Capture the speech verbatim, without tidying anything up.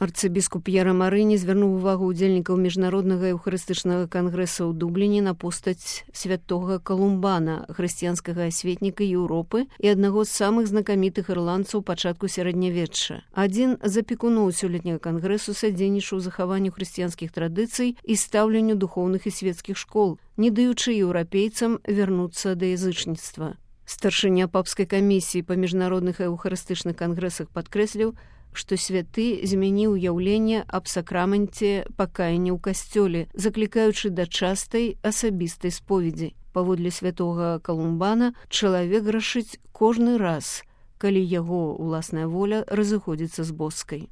Арцыбіскуп П'ера Марыні звярнуў увагу ўдзельнікаў міжнароднага еўхарыстычнага кангрэса ў Дубліне на постаць святога Калумбана, хрысціянскага асветніка Еўропы і аднаго з самых знакамітых ірландцаў пачатку сярэднявечча. Адзін з апекуноў сёлетняга кангрэсу садзейнічаў захаванню хрысціянскіх традыцый і стаўленню духоўных і свецкіх школ, не даючы еўрапейцам вярнуцца да язычніцтва. Старшыня папскай камісіі па міжнародных еўхарыстычных кангрэсах падкрэсліў, што святы змяніў уяўленне аб сакраменце пакаяння ў касцёле, заклікаючы да частай асабістай споведзі. Паводле святога Калумбана чалавек грашыць кожны раз, калі яго ўласная воля разыходзіцца з боскай.